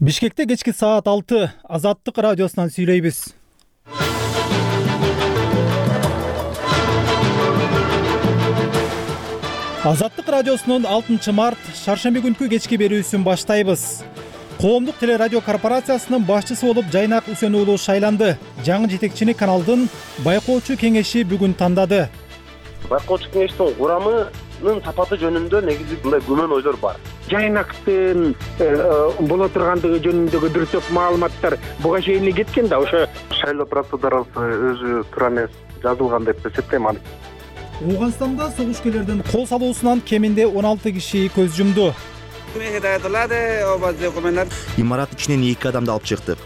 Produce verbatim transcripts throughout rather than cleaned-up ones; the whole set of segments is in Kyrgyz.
Бишкекте кечки саат алты Азаттык радиосунан сүйлөйбүз. Азаттык радиосунун алтынчы март шаршемби күнкү кечки берүүсүн баштайбыз. Коомдук телерадио корпорациясынын башчысы болуп Жайнак Үсөн уулу шайланды. Жаңы жетекчини каналдын байкоочу кеңеши бүгүн тандады. Байкоочу кеңештин курамынын сапаты жөнүндө негизи мындай күмөн ойлор бар. Жайнактын боло тургандыгы жөнүндөгү бир топ маалыматтар буга чейин кеткен да, ошо шайлоо процедурасы өзү туура эмес жазылган деп эсептейм аны. Ооганстанда согушкерлердин кол салуусунан кеминде он алты киши көз жумду. Имарат ичинен эки адамды алып чыктык.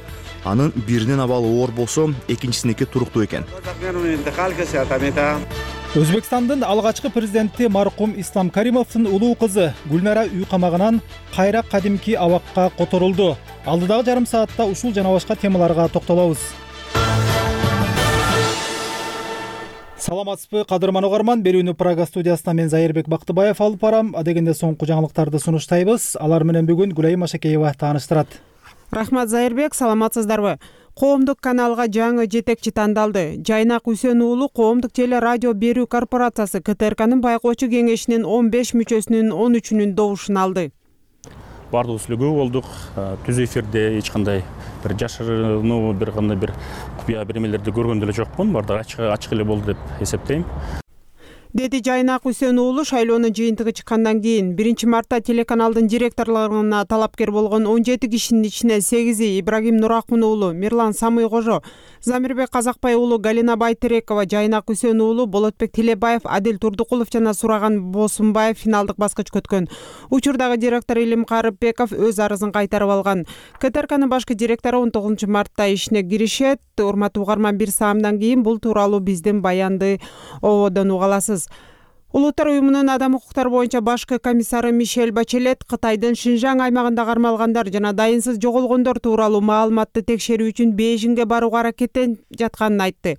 Анын биринин абалы оор болсо, экинчисиники туруктуу экен. Өзбекстандын алгачкы президенти маркум Ислам Каримовдун улуу кызы Гүлнара үй камагынан кайра кадимки абакка которулду. Алдыдагы жарым саатта ушул жана башка темаларга токтолобуз. Саламатсызбы, кадырман угарман. Берүүнү Прага студиясынан мен Зайырбек Бактыбаев алып барам. Адегенде соңку жаңылыктарды сунуштайбыз. Алар менен бүгүн Гүлайым Машакеева тааныштырат. Рахмат, Зайырбек, саламатсыздарбы? Коомдук каналга жаңы жетекчи тандалды. Жайнак Үсөн уулу Коомдук теле радио берүү корпорациясы К Т Р К'нын байкоочу кеңешинин он беш мүчөсүнүн он үчүнүн добушун алды. Бардыгыбыз үлгү болдук. Түз эфирде эч кандай бир жашырынуу бир кандай бир купуя бермелерди көргөн деле жокмун. Бардыгы ачык ачык эле болду деп эсептейм. Деди Жайнак Үсөн уулу шайлоонун жыйынтыгы чыккандан кийин биринчи мартта телеканалдын директорлоруна талапкер болгон он жети кишинин ичинен сегизи Ибрагим Нуракун уулу, Мирлан Самый Кожо, Замирбек Казакбай уулу, Галина Байтерекова, Жайнак Үсөн уулу, Болотбек Тилебаев, Адил Турдукулов жана Сураган Босунбаев финалдык баскыч көткөн. Учурдагы директор Илим Карыпбеков өз арызын кайтарып алган. К Т Р К'нын башкы директору он тогузунчу мартта ишине киришет. Урматтуу угарман, бир саамдан кийин бул тууралуу биздин баянды ободон уга аласыз. Улуттар уюмунун адам укуктары боюнча башкы комиссары Мишель Бачелет Кытайдын Шинжаң аймагында кармалгандар жана дайынсыз жоголгондор тууралуу маалыматты текшерүү үчүн Бейжиңге барууга аракеттенип жатканын айтты.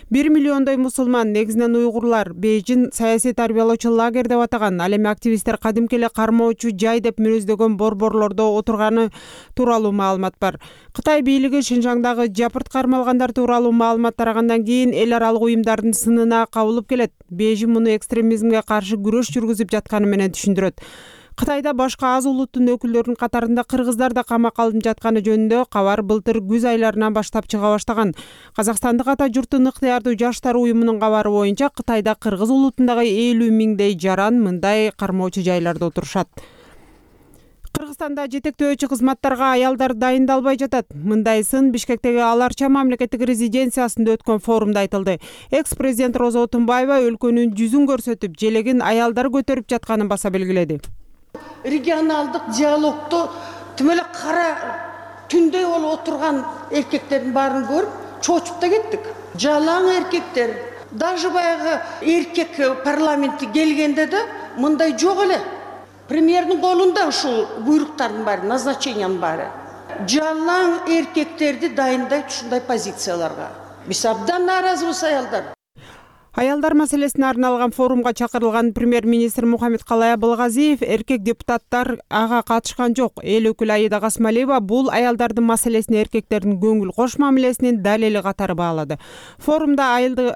бир миллиондой мусулман, негизинен уйгурлар, Бейжиң саясий тарбиялоочу лагерь деп атаган, ал эми активисттер кадимки эле кармоочу жай деп мүнөздөгөн борборлордо отурганы тууралуу маалымат бар. Кытай бийлиги Шинжаңдагы жапырт кармалгандар тууралуу маалымат тарагандан кийин эл аралык уюмдардын сынына кабылып келет. Бейжиң муну экстремизмге каршы күрөш жүргүзүп жатканы менен түшүндүрөт. Кытайда башка аз улуттун өкүлдөрүнүн катарында кыргыздар да камакка алынып жатканы жөнүндө кабар былтыр күз айларынан баштап чыга баштаган. Казакстандык ата журттун ыктыярдуу жаштар уюмунун кабары боюнча Кытайда кыргыз улутундагы элүү миңдей жаран мындай кармоочу жайларда отурушат. Кыргызстанда жетектөөчү кызматтарга аялдар дайындалбай жатат. Мындай сын Бишкектеги Аларча мамлекеттик резиденциясында өткөн форумда айтылды. Экс-президент Роза Отунбаева өлкөнүн жүзүн көрсөтүп, желегин аялдар көтөрүп жатканын баса белгиледи. Регионалдык диалогту тим эле кара түндөй болуп отурган эркектердин баарын көрүп, чочуп да кеттик. Жалаң эркектер, даже баягы эркек парламентке келгенде да мындай жок эле. Премьердин колунда ушул буйруктардын баары, назначениянын баары. Жалаң эркектерди дайындайт ушундай позицияларга. Биз абдан нааразыбыз аялдар. Аялдар маселесине арналган форумга чакырылган премьер-министр Мухаммед Калай Абылгазиев эркек депутаттар ага катышкан жок. Эл өкүлү Аида Касмалиева бул аялдардын маселесине эркектердин көңүл кош мамилесинин далили катары баалады. Форумда айылды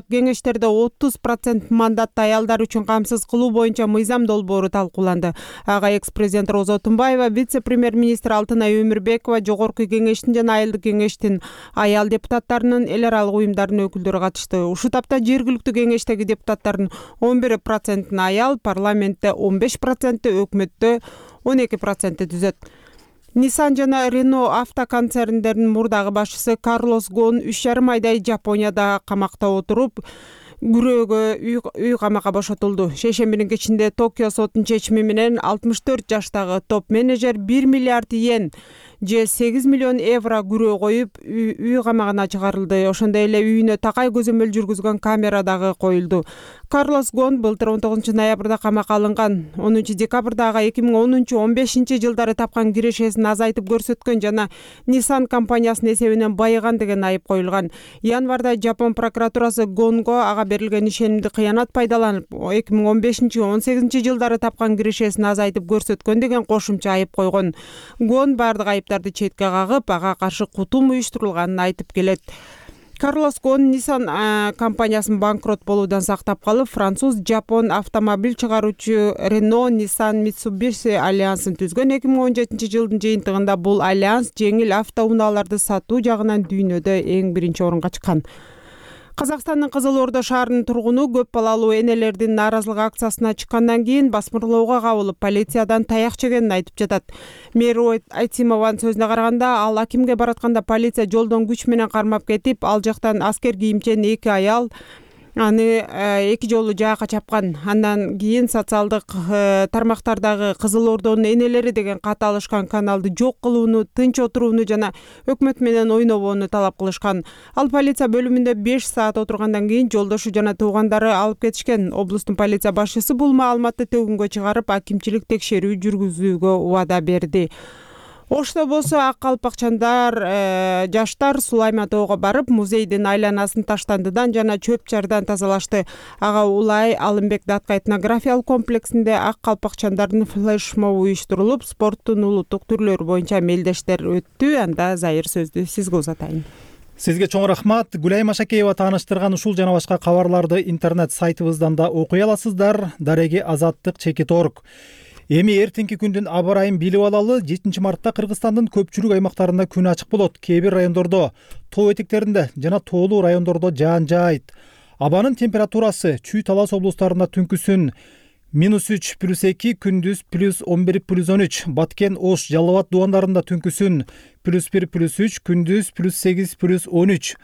кеңештерде отуз процент мандатты аялдар үчүн камсыз кылуу боюнча мыйзам долбоору талкууланды. Ага экс-президент Роза Отунбаева, вице-премьер-министр Алтынай Өмүрбекова, жогорку кеңештин жана айылдык кеңештин аял депутаттарынын эл аралык уюмдардын өкүлдөрү катышты. Ушул таапта жергиликтүү кеңештеги депутаттардын он бир проценти аял, парламентте он беш проценти, өкмөттө он эки проценти түзөт. Nissan жана Renault автоконцерндеринин мурдагы башчысы Карлос Гон үч жарым айдай Жапонияда камакта отуруп, күрөөгө үй камакка бошотулду. Шейшембинин кечинде Токио сотунун чечими менен алтымыш төрт жаштагы топ-менеджер бир миллиард йен же сегиз миллион евро күрөө коюп үй камагына чыгарылды. Ошондой эле үйүнө такай көзөмөл жүргүзгөн камера дагы коюлду. Карлос Гон былтыр он тогузунчу ноябрда камакка алынган. онунчу декабрда ага эки миң онунчу он бешинчи жылдары тапкан кирешесин азайтып көрсөткөн жана Nissan компаниясынын эсебинен байыган деген айып коюлган. Январда Жапон прокуратурасы Гонго ага берилген ишенимди кыянат пайдаланып, эки миң он бешинчи он сегизинчи жылдары тапкан кирешесин азайтып көрсөткөн деген кошумча айып койгон. Гон бардык айыптарды четке кагып, ага каршы кутум уюштурулганын айтып келет. Карлос Гон Nissan компаниясын банкрот болуудан сактап калып, француз Жапон автомобиль чыгаруучу Renault Nissan Mitsubishi альянсын түзгөн. эки миң он жетинчи жылдын жыйынтыгында бул альянс жеңил автоунааларды сатуу жагынан дүйнөдө эң биринчи орунга чыккан. Казакстандын Кызыл Ордо шаарынын тургуну көп балалуу энелердин нааразылык акциясына чыккандан кийин басмырлоого кабылып, полициядан таяк жегенин айтып жатат. Мэр Айтимованын сөзүнө караганда, ал акимге баратканда полиция жолдон күч менен кармап кетип, ал жактан аскер кийимчен эки аял аны эки жолу жаакка чапкан. Андан кийин социалдык тармактардагы Кызыл Ордонун энелери деген кат алышкан каналды жок кылууну, тынч отурууну жана өкмөт менен ойнобоону талап кылышкан. Ал полиция бөлүмүндө беш саат отургандан кийин жолдошу жана туугандары алып кетишкен. Облустун полиция башчысы бул маалыматты төгүнгө чыгарып, акимчилик текшерүү жүргүзүүгө убада берди. Ошто болсо ак калпакчандар жаштар Сулайма тоого барып, музейдин айланасын таштандыдан жана чөп чардан тазалашты. Ага Улай Алымбек датка этнографиялык комплексинде ак калпакчандардын флешмобу уюштурулуп, спорттун улуттук түрлөрү боюнча мелдештер өттү. Анда Зайыр сөздү сизге узатайын. Сизге чоң рахмат. Гүлайым Ашакеева тааныштырган ушул жана башка кабарларды интернет сайтыбыздан да окуй аласыздар. Дареги Азаттык чекит орг. Эми эртеңки күндүн аба ырайын билип алалы. жетинчи мартта Кыргызстандын көпчүлүк аймактарында күн ачык болот. Кээ бир райондордо, тоо этектеринде жана тоолуу райондордо жаан жаайт. Абанын температурасы Чүй Талас облустарында түнкүсүн минус үч плюс эки, күндүз плюс он бир плюс он үч, Баткен, Ош, Жалал Абад дубандарында түнкүсүн плюс бир плюс үч, күндүз плюс сегиз плюс он үч.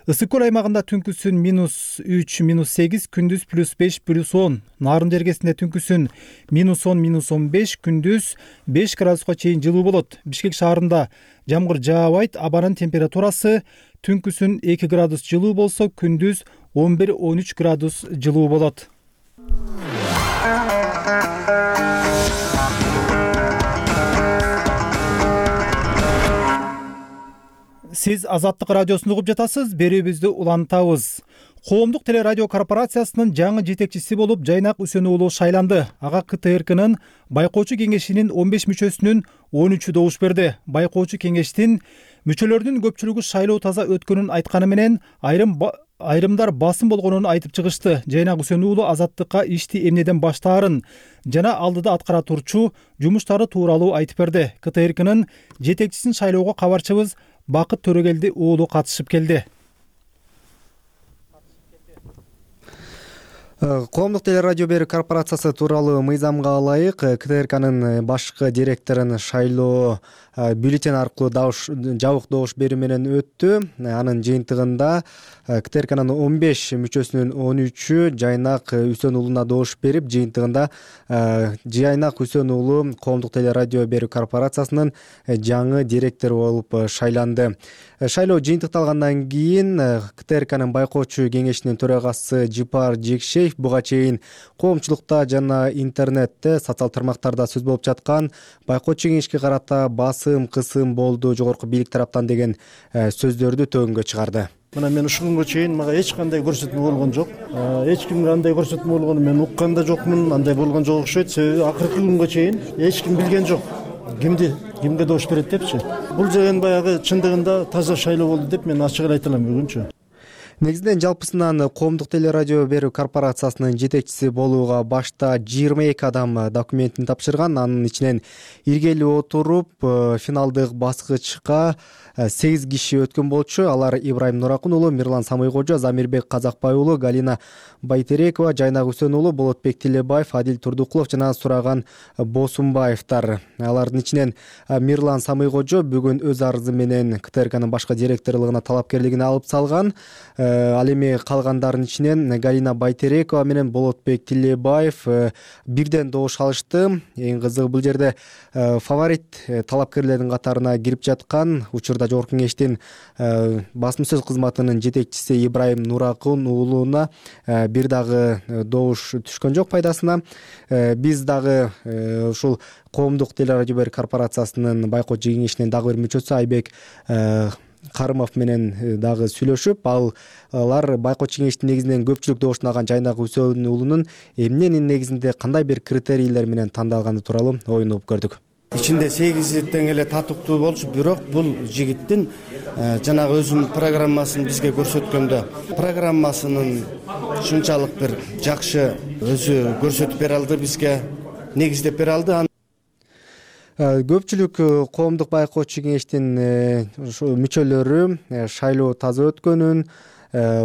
Ысык көл аймагында түнкүсүн минус үч минус сегиз, күндүз плюс беш плюс он. Нарын жергесинде түнкүсүн минус он минус он беш, күндүз беш градуска чейин жылуу болот. Бишкек шаарында жамгыр жаабайт. Абанын температурасы түнкүсүн эки градус жылуу болсо, күндүз он бир он үч градус жылуу болот. Сиз Азаттык радиосун угуп жатасыз. Берүүбүздү улантабыз. Коомдук телерадио корпорациясынын жаңы жетекчиси болуп Жайнак Үсөнүү уулу шайланды. Ага К Т Р Кнын байкоочу кеңешинин он беш мүчөсүнүн он үчү добуш берди. Байкоочу кеңештин мүчөлөрүнүн көпчүлүгү шайлоо таза өткөнүн айтканы менен айрым ба... айрымдар басым болгонун айтып чыгышты. Жайнак Үсөнүү уулу Азаттыкка ишти эмнеден баштаарын жана алдыда аткара турчу жумуштары тууралуу айтып берди. К Т Р Кнын жетекчисин шайлоого кабарчыбыз Бакыт Төрөгелди уулу катышып келди. Коомдук телерадио берүү корпорациясы тууралуу мыйзамга ылайык К Т Р Кнын башкы директорун шайлоо бюллетень аркылуу жабык добуш берүү менен өттү. Анын жыйынтыгында К Т Р Кнын он беш мүчөсүнүн он үчү Жайнак Үсөнүү уулуна добуш берип, жыйынтыгында Жайнак Үсөнүү уулу Коомдук телерадио берүү корпорациясынын жаңы директору болуп шайланды. Шайлоо жыйынтыкталгандан кийин К Т Р Кнын байкоочу кеңешинин төрагасы Жипар Жекшеев буга чейин коомчулукта жана интернетте, социал тармактарда сөз болуп жаткан байкоочу кеңешке карата басым кысым болду жогорку бийлик тараптан деген сөздөрдү төгүнгө чыгарды. Мына мен ушул күнгө чейин мага эч кандай көрсөтмө болгон жок. Эч кимге андай көрсөтмө болгонун мен уккан да жокмун, андай болгон жок окшойт. Себеби акыркы күнгө чейин эч ким билген жок. Кимди, кимге добуш берет депчи. Бул деген баягы чындыгында таза шайлоо болду деп мен ачык эле айта алам бүгүнчү. Негизинен жалпысынан Коомдук телерадио берүү корпорациясынын жетекчиси болууга башта жыйырма эки адам документин тапшырган. Анын ичинен иргелип отуруп финалдык баскычка сегиз киши өткөн болчу. Алар Ибрайым Нуракун уулу, Мирлан Самыйкожо, Замирбек Казакбай уулу, Галина Байтерекова, Жайнак Үсөнүү уулу, Болотбек Тилебаев, Адил Турдукулов жана Сураган Босумбаевдер. Алардын ичинен Мирлан Самыйкожо бүгүн өз арызы менен К Т Р Кнын башкы директорлугуна талапкерлигин алып салган. ал эми калгандардын ичинен Галина Байтерекова менен Болотбек Тилебаев бирден добуш алышты. Эң кызыгы бул жерде фаворит талапкерлердин катарына кирип жаткан учурда Жогорку Кеңештин басма сөз кызматынын жетекчиси Ибрайым Нуракун уулуна бир дагы добуш түшкөн жок пайдасына. Биз дагы ушул коомдук телерадио берүү корпорациясынын байкоочу кеңешинин дагы бир мүчөсү Айбек Карымов менен дагы сүйлөшүп, алар байкоочу кеңештин негизинен көпчүлүк добушун алган Жайнак Үсөнүн уулунун эмненин негизинде кандай бир критерийлер менен тандалганы тууралуу оюн угуп көрдүк. Ичинде сегизи тең эле татыктуу болчу, бирок бул жигиттин жанагы өзүнүн программасын бизге көрсөткөндө программасынын ушунчалык бир жакшы өзү көрсөтүп бере алды, бизге негиздеп бере алды. Көпчүлүк коомдук байкоочу кеңештин мүчөлөрү шайлоо таза өткөнүн,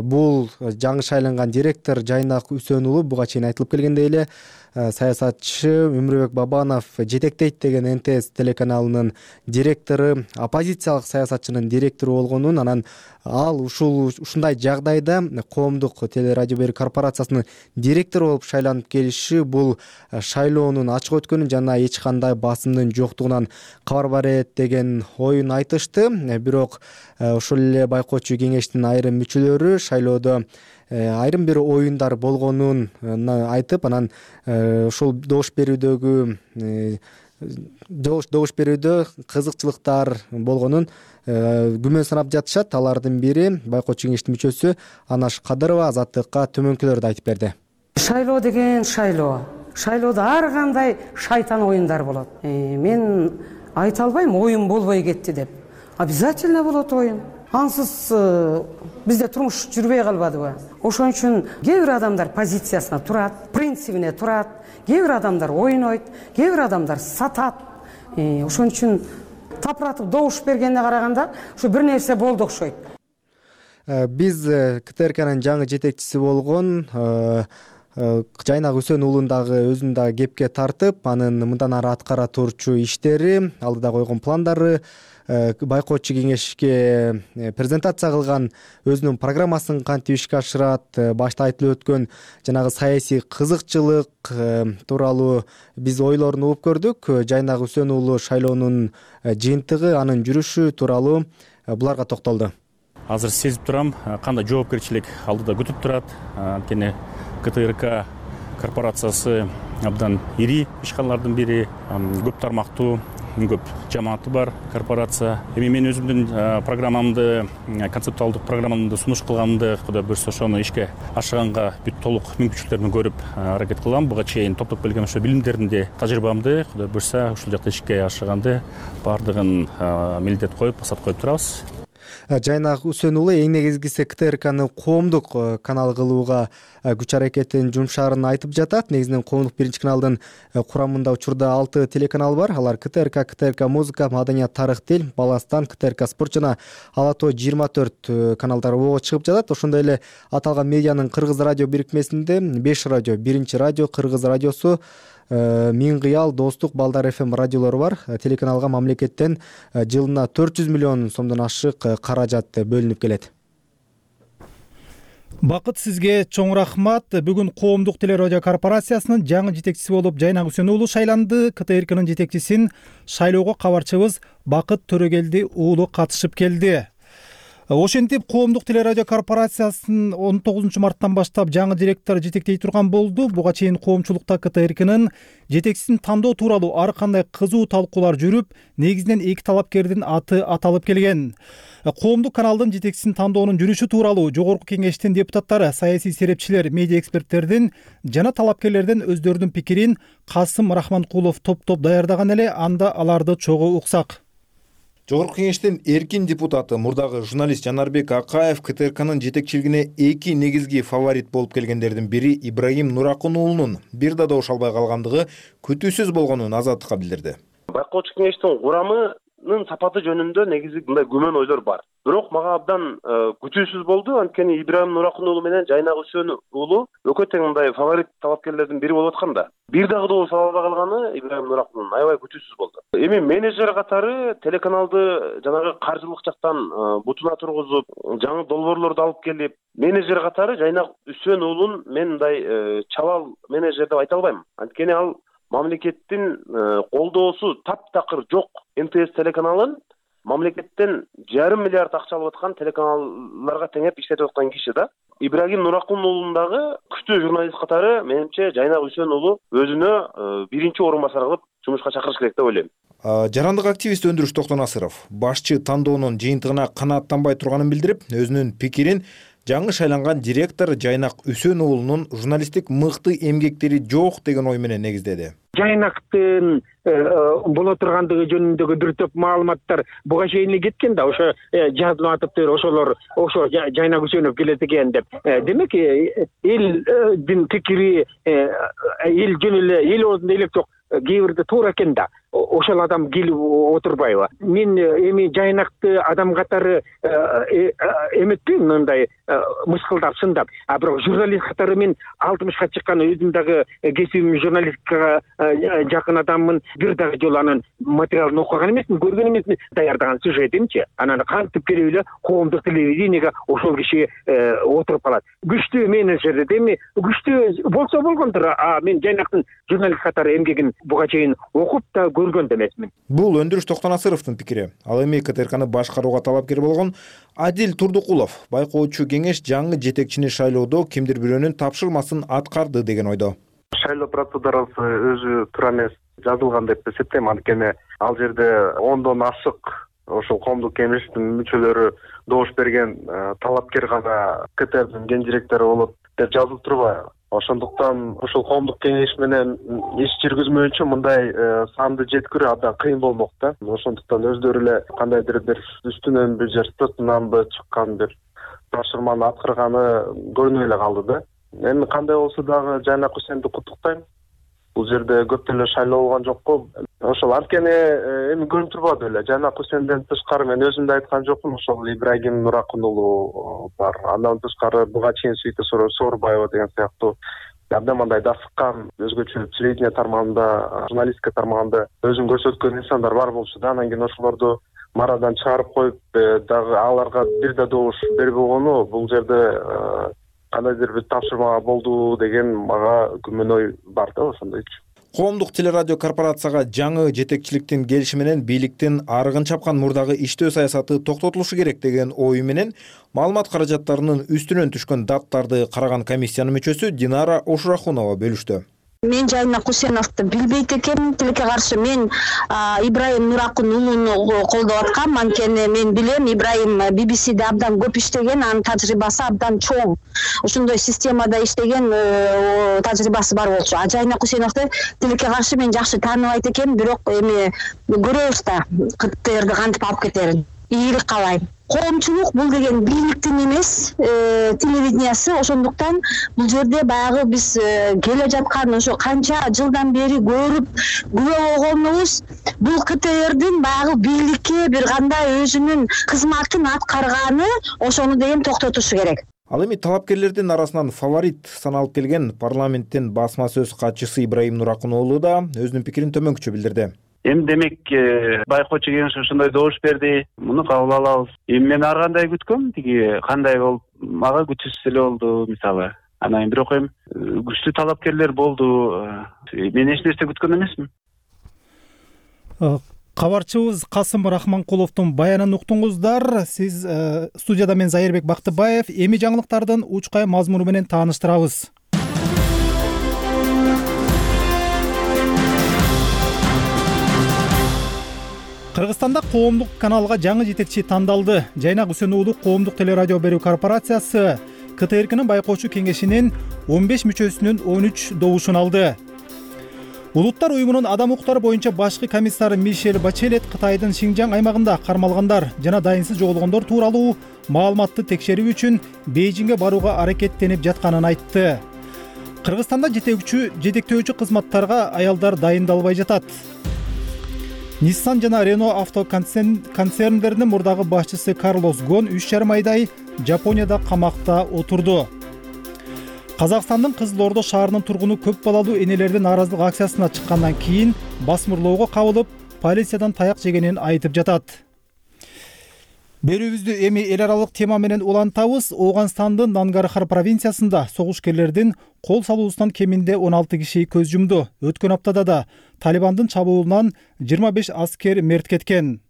бул жаңы шайланган директор Жайнак Үсөн уулу буга чейин айтылып келгендей эле саясатчы Өмүрбек Бабанов жетектейт деген эн тэ эс телеканалынын директору, оппозициялык саясатчынын директору болгонун, анан ал ушул ушундай жагдайда коомдук телерадио берүү корпорациясынын директору болуп шайланып келиши бул шайлоонун ачык өткөнүн жана эч кандай басымдын жоктугунан кабар берет деген оюн айтышты. Бирок ошол эле байкоочу кеңештин айрым мүчөлөрү шайлоодо айрым бир оюндар болгонун айтып, анан ушул добуш берүүдөгү добуш берүүдө кызыкчылыктар болгонун күмөн санап жатышат. Алардын бири байкоочу кеңештин мүчөсү Анаш Кадырова Азаттыкка төмөнкүлөрдү айтып берди. Шайлоо деген шайлоо. Шайлоодо ар кандай шайтан оюндар болот. Мен айта албайм оюн болбой кетти деп. Обязательно болот оюн. Ансыз бизде турмуш жүрбөй калбадыбы? Ошон үчүн кээ бир адамдар позициясына турат, принцибине турат, кээ бир адамдар ойнойт, кээ бир адамдар сатат. Ошон үчүн тапыратып добуш бергенине караганда ушу бир нерсе болду окшойт. Биз ка тэ эр канын жаңы жетекчиси болгон Жайнак Үсөн уулун дагы өзүн дагы кепке тартып, анын мындан ары аткара турчу иштери, алдыда койгон пландары, байкоочу кеңешке презентация кылган өзүнүн программасын кантип ишке ашырат, башта айтылып өткөн жанагы саясий кызыкчылык тууралуу биз ойлорун угуп көрдүк. Жайнак Үсөн уулу шайлоонун жыйынтыгы, анын жүрүшү тууралуу буларга токтолду. Азыр сезип турам, кандай жоопкерчилик алдыда күтүп турат. Анткени ка тэ эр ка корпорациясы абдан ири ишканалардын бири, көп тармактуу, көп жамааты бар корпорация. Эми мен өзүмдүн программамды, концептуалдык программамды сунуш кылганымды Кудай буйрса ошону ишке ашырганга бүт толук мүмкүнчүлүктөрүн көрүп аракет кылам. Буга чейин топтоп келген ошо билимдеримди, тажрыйбамды Кудай буйрса ушул жакта ишке ашырганды баардыгын милдет коюп, басат коюп турабыз. Жайнак Үсөн уулу эң негизгиси ка тэ эр каны коомдук канал кылууга күч аракетин жумшаарын айтып жатат. Негизинен коомдук биринчи каналдын курамында учурда алты телеканал бар. Алар ка тэ эр ка, ка тэ эр ка музыка, маданият, тарых, тил, Баластан, ка тэ эр ка спорт жана Ала тоо жыйырма төрт каналдары ого чыгып жатат. Ошондой эле аталган медианын Кыргыз радио бирикмесинде беш радио, биринчи радио, Кыргыз радиосу, Миң кыял, Достук, Балдар эф эм радиолору бар. Телеканалга мамлекеттен жылына төрт жүз миллион сомдон ашык каражат бөлүнүп келет. Бакыт, сизге чоң рахмат. Бүгүн коомдук телерадио корпорациясынын жаңы жетекчиси болуп Жайнак Үсөн уулу шайланды. ка тэ эр канын жетекчисин шайлоого кабарчыбыз Бакыт Төрөгелди уулу катышып келди. Ошентип коомдук телерадио корпорациясынын он тогузунчу марттан баштап жаңы директор жетектей турган болду. Буга чейин коомчулукта ка тэ эр канын жетекчисин тандоо тууралуу ар кандай кызуу талкуулар жүрүп, негизинен эки талапкердин аты аталып келген. Коомдук каналдын жетекчисин тандоонун жүрүшү тууралуу Жогорку Кеңештин депутаттары, саясий серепчилер, медиа эксперттердин жана талапкерлердин өздөрүнүн пикирин Касым Рахманкулов топтоп даярдаган эле, анда аларды чогуу уксак. Жогорку Кеңештин эркин депутаты, мурдагы журналист Жанарбек Акаев ка тэ эр канын жетекчилигине эки негизги фаворит болуп келгендердин бири Ибрагим Нуракун уулунун бир да добуш албай калгандыгы күтүүсүз болгонун Азаттыкка билдирди. Байкоочу кеңештин курамы программанын сапаты жөнүндө негизи мындай күмөн ойлор бар. Бирок мага абдан күтүүсүз болду, анткени Ибрайым Нуракун уулу менен Жайнак Үсөн уулу экөө тең мындай фаворит талапкерлердин бири болуп атканда, бир дагы добуш ала албай калганы Ибрайым Нуракунун аябай күтүүсүз болду. Эми менеджер катары телеканалды жанагы каржылык жактан бутуна тургузуп, жаңы долбоорлорду алып келип, менеджер катары Жайнак Үсөн уулун мен мындай чабал менеджер деп айта албайм. Анткени ал мамлекеттин колдоосу таптакыр жок М Т С телеканалын мамлекеттен жарым миллиард акча алып аткан телеканалларга теңеп иштетип аткан киши да. Ибрагим Нуракун уулундагы күчтүү журналист катары менимче Жайнак Үсөн уулу өзүнө биринчи орун басар кылып жумушка чакырыш керек деп ойлойм. Жарандык активист Өндүрүш Токтонасыров башчы тандоонун жыйынтыгына канааттанбай турганын билдирип, өзүнүн пикирин жаңы шайланган директор Жайнак Үсөн уулунун журналисттик мыкты эмгектери жок деген ой менен негиздеди. Жайнактын боло тургандыгы жөнүндөгү бир топ маалыматтар буга чейин эле кеткен да, ошо жазылып атыптыр, ошолор ошо Жайнак Үсөнов келет экен деп. Демек элдин пикири эл жөн эле эл оозунда элек жок, кээ бирде туура экен да. Ошол адам келип отурбайбы? Мен эми Жайнакты адам катары эметпейм, мындай мыскылдап, сындап. А бирок журналист катары мен алтымышка чыккан өзүм дагы кесибим журналистикага жакын адаммын. Бир дагы жолу анын материалын окуган эмесмин, көргөн эмесмин, даярдаган сюжетинчи. Анан кантип келип эле коомдук телевидениеге ошол киши отуруп калат. Күчтүү менеджер эми күчтүү болсо болгондур. А мен Жайнактын журналист катары эмгегин буга чейин окуп да көргөн да эмесмин. Бул Өндүрүш Токтонасыровдун пикири. Ал эми К Т Р Кны башкарууга талапкер болгон Адил Турдукулов байкоочу кеңеш жаңы жетекчини шайлоодо кимдир бирөөнүн тапшырмасын аткарды деген ойдо. Шайлоо процедурасы өзү туура эмес жазылган деп эсептейм, анткени ал жерде ондон ашык ошол коомдук кеңештин мүчөлөрү добуш берген талапкер гана К Т Рдин ген директору болот деп жазылып турбайбы? Ошондуктан ошол коомдук кеңеш менен иш жүргүзмөөнчө мындай санды жеткирүү абдан кыйын болмок да. Ошондуктан өздөрү эле кандайдыр бир үстүнөнбү же сыртынанбы чыккан бир тапшырманы аткарганы көрүнүп эле калды да. Эми кандай болсо дагы Жайнак Үсөнду куттуктайм. Бул жерде көп деле шайлоо болгон жокпу. Ошол анткени эми көрүнүп турбады эле. Жайнак Үсөндөн тышкары мен өзүм да айткан жокмун, ошол Ибрагим Нуракун уулу бар. Андан тышкары буга чейин Сүйүтө Соорбаева деген сыяктуу абдан мындай дасыккан, өзгөчө телевидение тармагында, журналистика тармагында өзүн көрсөткөн инсандар бар болчу да. Анан кийин ошолорду марадан чыгарып коюп дагы аларга бир да добуш бербей койгону бул жерде кандайдыр бир тапшырма болду деген мага күмөн ой бар да, ошондойчу. Коомдук телерадио корпорацияга жаңы жетекчиликтин келиши менен бийликтин арыгын чапкан мурдагы иштөө саясаты токтотулушу керек деген ою менен маалымат каражаттарынын үстүнөн түшкөн даттарды караган комиссиянын мүчөсү Динара Ошурахунова бөлүштү. Мен Жайнак Үсөновду билбейт экенмин. Тилекке каршы мен Ибрайым Нуракун уулуну колдоп аткам. Анткени мен билем, Ибрайым Би Би Сиде абдан көп иштеген, анын тажрыйбасы абдан чоң. Ошондой системада иштеген тажрыйбасы бар болчу. А Жайнак Үсөновду тилекке каршы мен жакшы тааныбайт экенмин, бирок эми көрөбүз да К Т Рди кантип алып кетерин. Ийгилик каалайм. Коомчулук бул деген бийликтин эмес, телевидениясы. Ошондуктан бул жерде баягы биз келе жаткан ошо канча жылдан бери көрүп күбө болгонубуз, бул К Т Рдин баягы бийликке бир кандай өзүнүн кызматын аткарганы, ошону деген токтотушу керек. Ал эми талапкерлердин арасынан фаворит саналып келген парламенттин басма сөз катчысы Ибрайым Нуракун уулу да өзүнүн пикирин төмөнкүчө билдирди. Эми демек байкоочу кеңеш ошондой добуш берди, муну кабыл алабыз. Эми мен ар кандай күткөм, тиги кандай болуп мага күтүүсүз эле болду мисалы. Анан бирок эми күчтүү талапкерлер болду. Мен эч нерсе күткөн эмесмин. Кабарчыбыз Касым Рахманкуловдун баянын уктуңуздар. Сиз студияда мен Зайырбек Бактыбаев. Эми жаңылыктардын учкай мазмуну менен тааныштырабыз. Кыргызстанда коомдук каналга жаңы жетекчи тандалды. Жайнак Үсөн уулу коомдук телерадио берүү корпорациясы К Т Р Кнын байкоочу кеңешинин он беш мүчөсүнүн он үч добушун алды. Улуттар уюмунун адам укуктары боюнча башкы комиссары Мишель Бачелет Кытайдын Шинжаң аймагында кармалгандар жана дайынсыз жоголгондор тууралуу маалыматты текшерүү үчүн Бейжиңге барууга аракеттенип жатканын айтты. Кыргызстанда жетектөөчү жетектөөчү кызматтарга аялдар дайындалбай жатат. Nissan жана Renault авто концерндеринин мурдагы башчысы Карлос Гон үч жарым айдай Жапонияда камакта отурду. Казакстандын Кызыл Ордо шаарынын тургуну көп балалуу энелердин нааразылык акциясына чыккандан кийин басмырлоого кабылып, полициядан таяк жегенин айтып жатат. Берүүбүздү эми эл аралык тема менен улантабыз. Ооганстандын Нангархар провинциясында согушкерлердин кол салуусунан кеминде он алты киши көз жумду. Өткөн аптада да Талибандын чабуулунан жыйырма беш аскер мерт кеткен.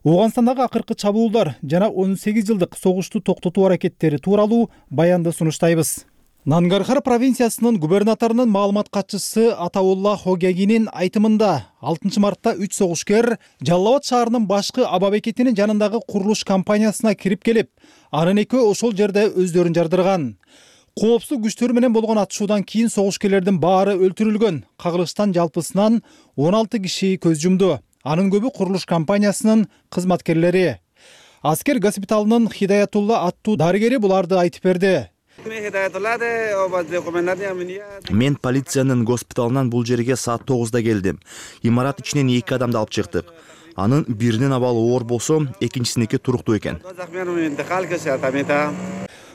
Ооганстандагы акыркы чабуулдар жана он сегиз жылдык согушту токтотуу аракеттери тууралуу баянды сунуштайбыз. Нангархар провинциясынын губернаторунун маалымат катчысы Атаулла Хогягинин айтымында алтынчы мартта үч согушкер Жалал Абад шаарынын башкы аба бекетинин жанындагы курулуш компаниясына кирип келип, анын экөө ошол жерде өздөрүн жардырган. Коопсуздук күчтөр менен болгон атышуудан кийин согушкерлердин баары өлтүрүлгөн. Кагылыштан жалпысынан он алты киши көз жумду. Анын көбү курулуш компаниясынын кызматкерлери. Аскер госпиталынын Хидаятулла аттуу дарыгери буларды айтып берди. Мен полициянын госпиталынан бул жерге саат тогузда келдим. Имарат ичинен эки адамды алып чыктык. Анын биринин абалы оор болсо, экинчисиники туруктуу экен.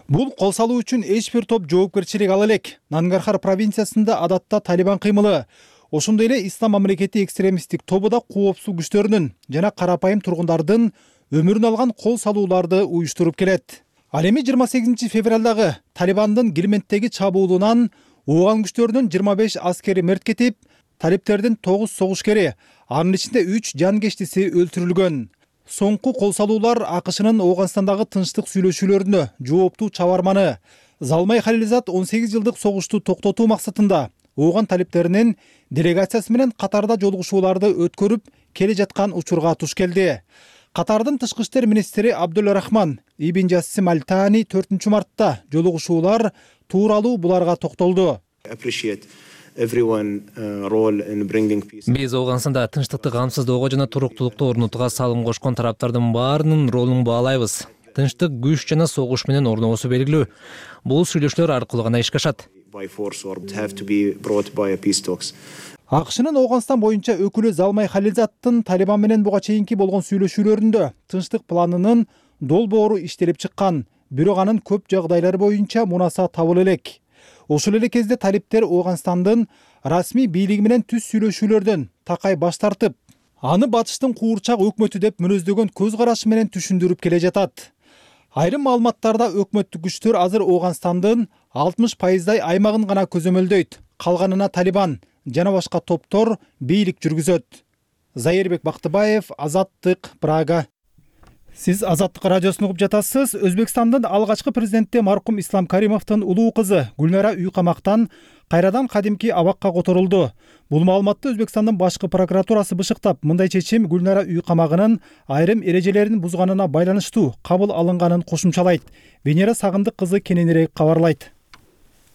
Бул кол салуу үчүн эч бир топ жоопкерчилик ала элек. Нангархар провинциясында адатта Талибан кыймылы, ошондой эле Ислам мамлекети экстремисттик тобу да коопсуздук күчтөрүнүн жана карапайым тургундардын өмүрүн алган кол салууларды уюштуруп келет. Ал эми жыйырма сегизинчи февралдагы Талибандын Гилмендтеги чабуулунан ооган күчтөрүнүн жыйырма беш аскери мерт кетип, талиптердин тогуз согушкери, анын ичинде үч жанкештиси өлтүрүлгөн. Соңку кол салуулар АКШнын Ооганстандагы тынчтык сүйлөшүүлөрүнө жооптуу чабарманы Залмай Халилзад он сегиз жылдык согушту токтотуу максатында ооган талиптеринин делегациясы менен Катарда жолугушууларды өткөрүп келе жаткан учурга туш келди. Катардын тышкы иштер министри Абдул Рахман Ибн Жассим Аль-Тани төртүнчү мартта жолугушуулар тууралуу буларга токтолду. Биз Ооганстанда тынчтыкты камсыздоого жана туруктуулукту орнотууга салым кошкон тараптардын баарынын ролун баалайбыз. Тынчтык күч жана согуш менен орногосу белгилүү. Бул сүйлөшүүлөр аркылуу гана ишке ашат. АКШнын Ооганстан боюнча өкүлү Залмай Халилзадтын Талибан менен буга чейинки болгон сүйлөшүүлөрүндө тынчтык планынын долбоору иштелип чыккан, бирок анын көп жагдайлар боюнча мунаса табыла элек. Ошол эле кезде талиптер Ооганстандын расмий бийлиги менен түз сүйлөшүүлөрдөн такай баш тартып, аны батыштын куурчак өкмөтү деп мүнөздөгөн көз карашы менен түшүндүрүп келе жатат. Айрым маалыматтарда өкмөттүк күчтөр азыр Ооганстандын алтымыш пайыздай аймагын гана көзөмөлдөйт. Калганына Талибан жана башка топтор бийлик жүргүзөт. Зайырбек Бактыбаев, Азаттык, Прага. Сиз Азаттык радиосун угуп жатасыз. Өзбекстандын алгачкы президенти маркум Ислам Каримовдун улуу кызы Гүлнара үй камактан кайрадан кадимки абакка которулду. Бул маалыматты Өзбекстандын башкы прокуратурасы бышыктап, мындай чечим Гүлнара үй камагынын айрым эрежелерин бузганына байланыштуу кабыл алынганын кошумчалайт. Венера Сагындык кызы кененирээк кабарлайт.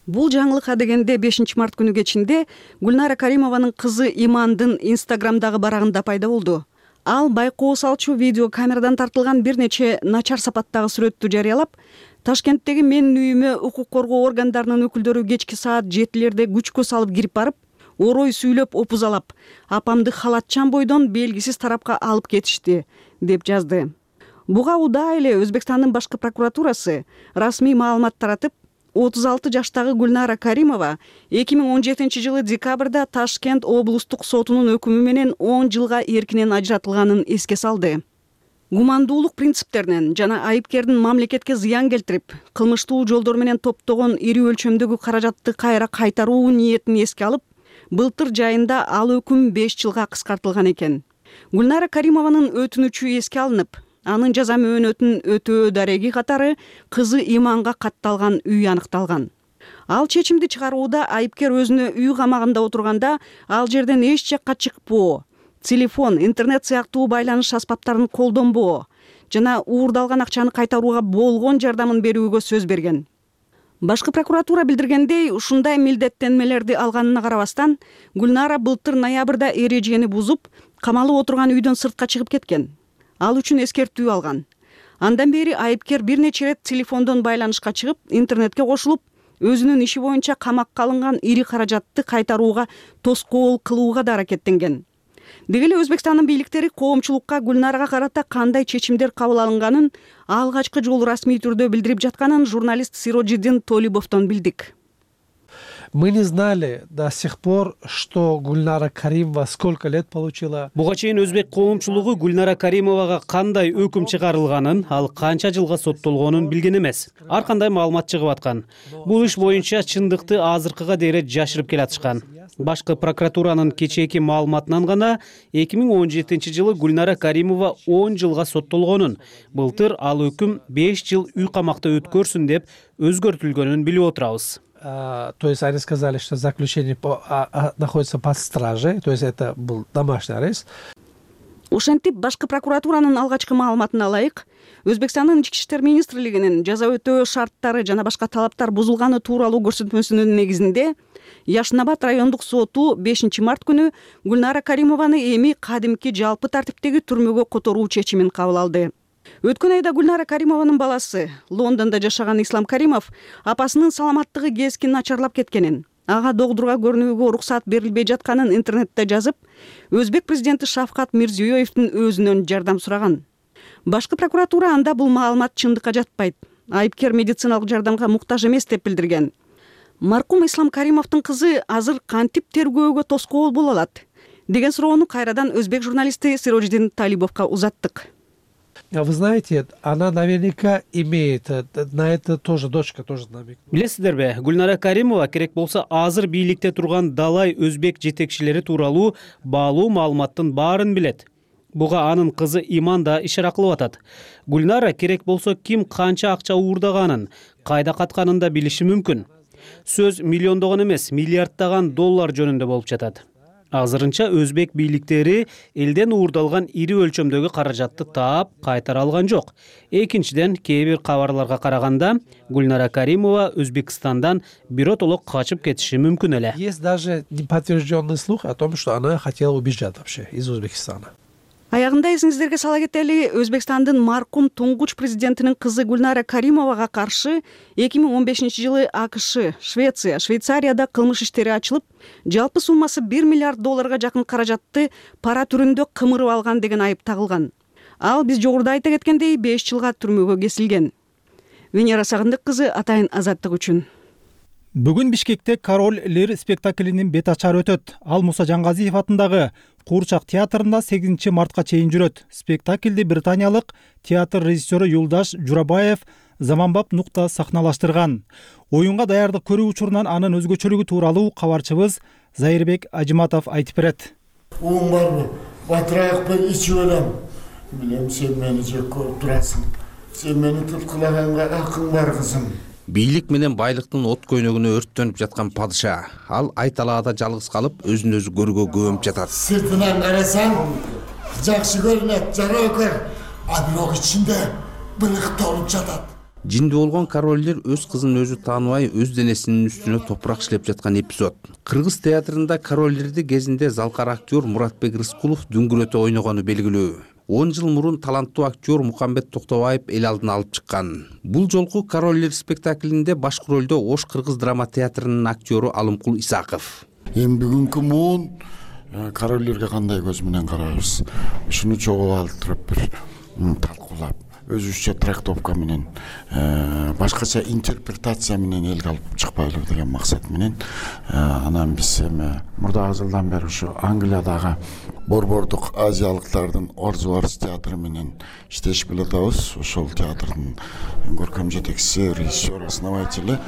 Бул жаңылыкка дегенде бешинчи март күнү кечинде Гүлнара Каримованын кызы Имандын Инстаграмдагы барагында пайда болду. Ал байкоо салчу видео камерадан тартылган бир нече начар сапаттагы сүрөттү жарыялап, Ташкенттеги менин үйүмө укук коргоо органдарынын өкүлдөрү кечки саат жетилерде күчкө салып кирип барып, орой сүйлөп опузалап, апамды халатчан бойдон белгисиз тарапка алып кетишти, деп жазды. Буга удаа эле Өзбекстандын башкы прокуратурасы расмий маалымат таратып, отуз алты жаштагы Гүлнара Каримова эки миң он жетинчи жылы декабрда Ташкент облустук сотунун өкүмү менен он жылга эркинен ажыратылганын эске салды. Гумандуулук принциптеринен жана айыпкердин мамлекетке зыян келтирип, кылмыштуу жолдор менен топтогон ири өлчөмдөгү каражатты кайра кайтаруу ниетин эске алып, былтыр жайында ал өкүм беш жылга кыскартылган экен. Гүлнара Каримованын өтүнүчү эске алынып, анын жаза мөөнөтүн өтөө дареги катары кызы Иманга катталган үй аныкталган. Ал чечимди чыгарууда айыпкер өзүнө үй камагында отурганда ал жерден эч жакка чыкпоо, телефон, интернет сыяктуу байланыш аспаптарын колдонбоо жана уурдалган акчаны кайтарууга болгон жардамын берүүгө сөз берген. Башкы прокуратура билдиргендей, ушундай милдеттенмелерди алганына карабастан, Гүлнара былтыр ноябрда эрежени бузуп, камалып отурган үйдөн сыртка чыгып кеткен. Ал үчүн эскертүү алган. Андан бери айыпкер бир нече рет телефондон байланышка чыгып, интернетке кошулуп, өзүнүн иши боюнча камакка алынган ири каражатты кайтарууга тоскоол кылууга да аракеттенген. Деги эле Өзбекстандын бийликтери коомчулукка Гүлнарага карата кандай чечимдер кабыл алынганын алгачкы жолу расмий түрдө билдирип жатканын журналист Сирожиддин Толибовдон билдик. Мы не знали до сих пор, что Гульнара Каримова сколько лет получила. Буга чейин өзбек коомчулугу Гүлнара Каримовага кандай өкүм чыгарылганын, ал канча жылга соттолгонун билген эмес. Ар кандай маалымат чыгып аткан. Бул иш боюнча чындыкты азыркыга дейре жашырып келатышкан. Башкы прокуратуранын кечээки маалыматынан гана эки миң он жетинчи жылы Гүлнара Каримова он жылга соттолгонун, былтыр ал өкүм беш жыл үй камакта өткөрсүн деп өзгөртүлгөнүн билип отурабыз. То есть они сказали, что заключение по, а, а, находится под стражей, то есть это был домашний арест. Ошентип башкы прокуратуранын алгачкы маалыматына ылайык, Өзбекстандын ички иштер министрлигинин жаза өтөө шарттары жана башка талаптар бузулганы тууралуу көрсөтмөсүнүн негизинде Яшнабад райондук соту бешинчи март күнү Гүлнара Каримованы эми кадимки жалпы тартиптеги түрмөгө которуу чечимин кабыл алды. Өткөн айда Гүлнара Каримованын баласы Лондондо жашаган Ислам Каримов апасынын саламаттыгы кескин начарлап кеткенин, ага догдурга көрүнүүгө уруксат берилбей жатканын интернетте жазып, Өзбек президенти Шавкат Мирзиёевдин өзүнөн жардам сураган. Башкы прокуратура анда бул маалымат чындыкка жатпайт, айыпкер медициналык жардамга муктаж эмес деп билдирген. Маркум Ислам Каримовдун кызы азыр кантип тергөөгө тоскоол боло алат деген суроону кайрадан өзбек журналисти Сирожиддин Талибовго узаттык. Вы знаете, она наверняка имеет, на это тоже дочка тоже намек. Билесиздерби, Гүлнара Каримова керек болсо азыр бийликте турган далай өзбек жетекчилери тууралуу баалуу маалыматтын баарын билет. Буга анын кызы Иман да ишара кылып атат. Гүлнара керек болсо ким канча акча уурдаганын, кайда катканын да билиши мүмкүн. Сөз миллиондогон эмес, миллиарддаган доллар жөнүндө болуп жатат. Азырынча өзбек бийликтери элден уурдалган ири өлчөмдөгү каражатты таап кайтара алган жок. Экинчиден, кээ бир кабарларга караганда, Гүлнара Каримова Өзбекстандан биротолок качып кетиши мүмкүн эле. Есть даже неподтвержденный слух о том, что она хотела убежать вообще из Узбекистана. Аягында эсиңиздерге сала кетели, Өзбекстандын маркум туңгуч президентинин кызы Гүлнара Каримовага каршы эки миң он бешинчи жылы АКШ, Швеция, Швейцарияда кылмыш иштери ачылып, жалпы суммасы бир миллиард долларга жакын каражатты пара түрүндө кымырып алган деген айып тагылган. Ал биз жогоруда айта кеткендей беш жылга түрмөгө кесилген. Венера Сагындык кызы, Атайын азаттык үчүн. Бүгүн Бишкекте Король Лир спектаклинин бет ачары өтөт. Ал Муса Жаңгазиев атындагы Куурчак театрында сегизинчи мартка чейин жүрөт. Спектаклди британиялык театр режиссеру Юлдаш Журабаев заманбап нукта сахналаштырган. Оюнга даярдык көрүү учурунан анын өзгөчөлүгү тууралуу кабарчыбыз Зайырбек Ажиматов айтып берет. Уң барбы? Батыракпен ичип элем. Билем, сен мени жек көрүп турасың. Сен мени туткулаганга акың бар, кызым. Бийлик менен байлыктын от көйнөгүнө өрттөнүп жаткан падыша. Ал айталаада жалгыз калып, өзүн өзү көргө көмүп жатат. Сыртынан карасаң, жакшы көрүнөт, жарокөр, а бирок ичинде былык толуп жатат. Жинди болгон королдер өз кызын өзү тааныбай, өз денесинин үстүнө топурак иштеп жаткан эпизод. Кыргыз театрында королдерди кезинде залкар актер Муратбек Рыскулов дүңгүрөтө ойногону белгилүү. он жыл мурун таланттуу актер Мукамбет Токтобаев эл алдына алып чыккан. Бул жолку Король спектаклинде башкы ролдо Ош Кыргыз драма театрынын актеру Алымкул Исаков. Эми бүгүнкү муун королдерге кандай көз менен карайбыз? Ушуну чогуу алып туруп бир талкуулап, өзүбүзчө трактовка менен, башкача интерпретация менен элге алып чыкпайлы деген максат менен, анан биз эми мурдагы жылдан бери ушу Англиядагы борбордук азиялыктардын Орз театры менен иштешип келатабыз. Ошол театрдын көркөм жетекчиси, режиссер, основатели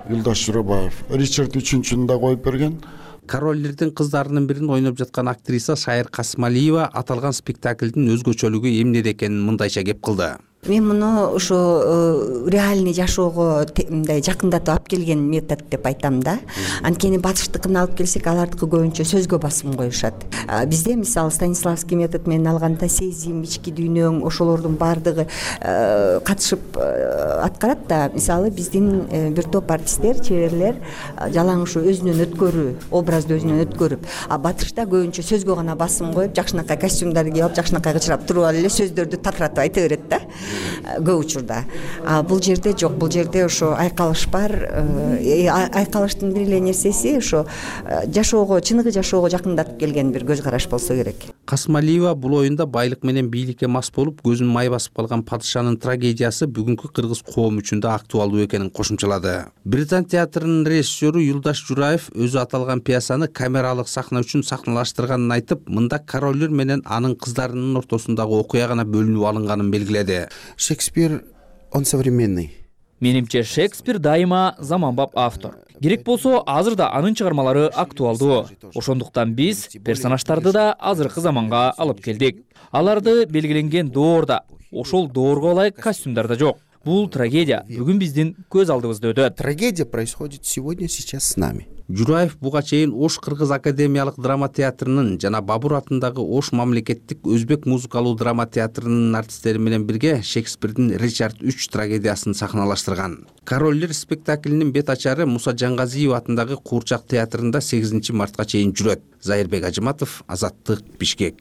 Юлдаш Журабаев Ричард үчүнчүнү да коюп берген. Королдердин кыздарынын бирин ойноп жаткан актриса Шайыр Касымалиева аталган спектаклдин өзгөчөлүгү эмнеде экенин мындайча кеп кылды. Мен муну ошо реальный жашоого мындай жакындатып алып келген метод деп айтам да. Анткени батыштыкын алып келсек, алардыкы көбүнчө сөзгө басым коюшат. Бизде мисалы Станиславский метод менен алганда сезим, ички дүйнөң, ошолордун баардыгы катышып аткарат да. Мисалы биздин бир топ артисттер, чеберлер жалаң ушу өзүнөн өткөрүү, образды өзүнөн өткөрүп, а батышта көбүнчө сөзгө гана басым коюп, жакшынакай костюмдарды кийип алып, жакшынакай кычырап туруп алып эле сөздөрдү татыратып айта берет да. Көп учурда. А бул жерде жок, бул жерде ошо айкалыш бар. Айкалыштын бир эле нерсеси ошо жашоого, чыныгы жашоого жакындатып келген бир көз караш болсо керек. Касмалиева бул оюнда байлык менен бийликке мас болуп көзүн май басып калган падышанын трагедиясы бүгүнкү кыргыз коому үчүн да актуалдуу экенин кошумчалады. Британ театрынын режиссеру Юлдаш Жураев өзү аталган пьесаны камералык сахна үчүн сахналаштырганын айтып, мында королдер менен анын кыздарынын ортосундагы окуя гана бөлүнүп алынганын белгиледи. Шекспир он современный. Менимче Шекспир дайыма заманбап автор. Керек болсо, азыр да анын чыгармалары актуалдуу. Ошондуктан биз персонаждарды да азыркы заманга алып келдик. Аларды белгиленген доорда, ошол доорго ылайык костюмдар да жок. Бул трагедия бүгүн биздин көз алдыбызда өтөт. Трагедия происходит сегодня, сейчас с нами. Жураев буга чейин Ош Кыргыз академиялык драма театрынын жана Бабур атындагы Ош мамлекеттик өзбек музыкалуу драма театрынын артисттери менен бирге Шекспирдин Ричард үч трагедиясын сахналаштырган. Королдер спектаклинин бет ачары Муса Жангазиев атындагы Куурчак театрында сегизинчи мартка чейин жүрөт. Зайырбек Ажыматов, Азаттык, Бишкек.